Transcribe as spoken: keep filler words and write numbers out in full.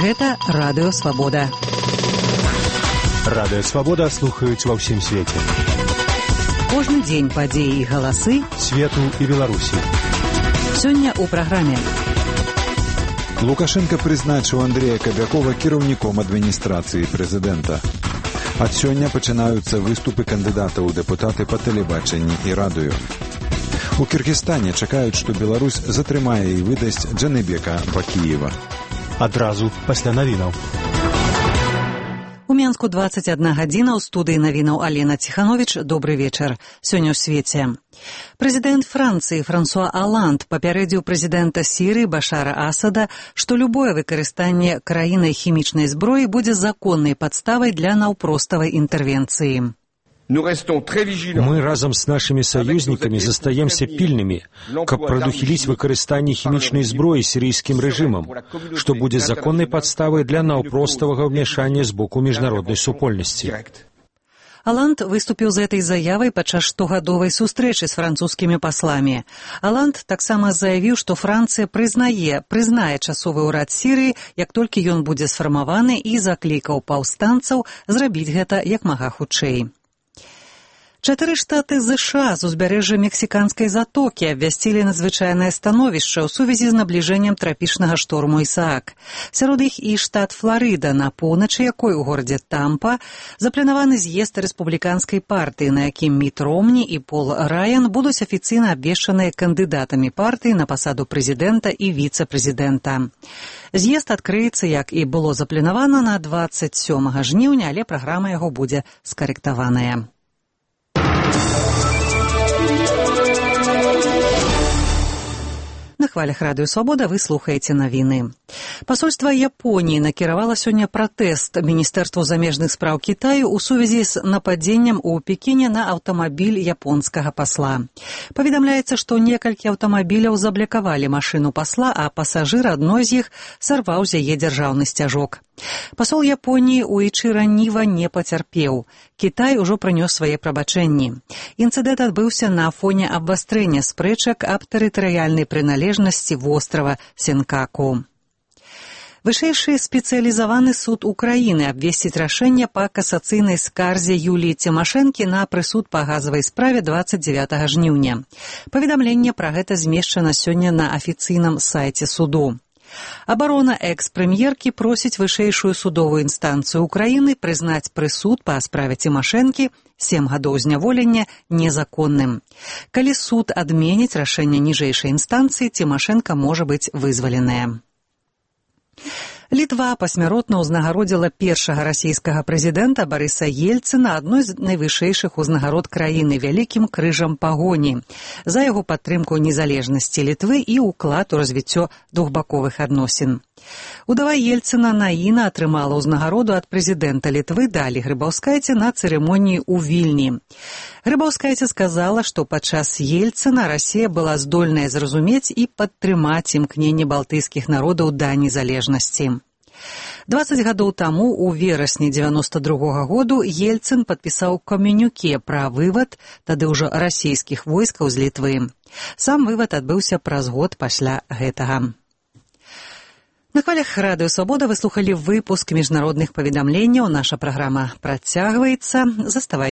Гэта Радыё Свабода. Радыё Свабода слухаюць ва ўсім свеце. Кожны дзень падзеі і галасы свету і Беларусі. Сёння ў праграме. Лукашенко прызначыў Андрея Кабякова кіраўніком адміністрацыі прэзідэнта. Ад сёння пачынаюцца выступы кандыдатаў у дэпутаты па тэлебачанні і радыё. У Кіргізстане чакаюць, што Беларусь затрымае і выдасць Джаныбека Бакіева. Адразу пасля навінаў. У Менску дваццаць адна гадзіна, ў студыі навінаў Алена Ціхановіч. Добры вечар. Сёння ў свеце. Прэзідэнт Францыі Франсуа Аланд папярэдзіў прэзідэнта Сірыі Башара Асада, што любое выкарыстанне краінай хімічнай зброі будзе законнай падставай для наўпроставай інтэрвенцыі. Мы разом с нашими союзниками застаемся пильными, каб прадухіліць выкарыстанне хімічнай зброі сірыйскім рэжымам, што будзе законнай падставай для наўпроставага ўмяшання з боку міжнароднай супольнасці. Аланд выступіў з этой заявай падчас штогадовай сустрэчы з французскімі пасламі. Аланд таксама заявіў, што Францыя прызнае, прызнае часовы ўрад Сірыі, як толькі ён будзе сфармаваны, і заклікаў паўстанцаў зрабіць гэта як мага хутчэй. Чатыры штаты ЗША з узбярэжжа мексіканскай затокі абвясцілі надзвычайнае становішча ў сувязі з набліжэннем трапічнага шторму Ісаак. Сярод іх і штат Фларыда, на поўначы якой у горадзе Тампа запланаваны з'езд рэспубліканскай партыі, на якім Міт Ромні і Пол Раян будуць афіцыйна абвешчаныя кандыдатамі партыі на пасаду прэзідэнта і віцэ-прэзідэнта. З'езд адкрыецца, як і было запланавана, на дваццаць сёмага жніўня, але праграма яго будзе скарэктаваная. На хвалях Радыё Свабода вы слухаеце навіны. Пасольства Японіі накіравала сёння пратэст Міністэрству замежных спраў Кітаю ў сувязі з нападзеннем у Пекіне на аўтамабіль японскага пасла. Паведамляецца, што некалькі аўтамабіляў заблякавалі машыну пасла, а пасажыр адной з іх сарваў з яе дзяржаўны сцяжок. Пасол Японіі Уічыра Ніва не пацярпеў. Кітай ужо прынёс свае прабачэнні. Інцыдэнт адбыўся на фоне абвастрэння спрэчак аб тэрытарыяльнай прыналежнасці вострава Сенкаку. Вышэйшы спецыялізаваны суд Украіны абвесціць рашэнне па касацыйнай скарзе Юліі Цімашэнкі на прысуд па газавай справе дваццаць дзявятага жніўня. Паведамленне пра гэта змешчана сёння на афіцыйным сайце суду. Абарона экс-прэм'еркі просіць вышэйшую судовую інстанцыю Украіны прызнаць прысуд па справе Цімашэнкі сем гадоў зняволення незаконным. Калі суд адменіць рашэнне ніжэйшай інстанцыі, Цімашэнка можа быць вызваленая. Літва пасмяротна ўзнагародзіла першага расійскага прэзідэнта Барыса Ельцына адной з найвышэйшых узнагарод краіны вялікім крыжам пагоні за яго падтрымку незалежнасці Літвы і ўклад у развіццё двухбаковых адносін. Удава Ельцына Наіна атрымала ўзнагароду ад прэзідэнта Літвы Далі Грыбаўскайце на цырымоніі ў Вільні. Грыбаўскайце сказала, што падчас Ельцына Расія была здольная зразумець і падтрымаць імкненне балтыйскіх народаў да незалежнасці. дваццаць гадоў таму, у верасні дзевяноста другога году, Ельцын падпісаў камюніке пра вывад тады ўжо расійскіх войскаў з Літвы. Сам вывад адбыўся праз год пасля гэтага. На хвалях Радыё Свабода вы слухалі выпуск міжнародных паведамленняў. Наша праграма працягваецца. Заставайцеся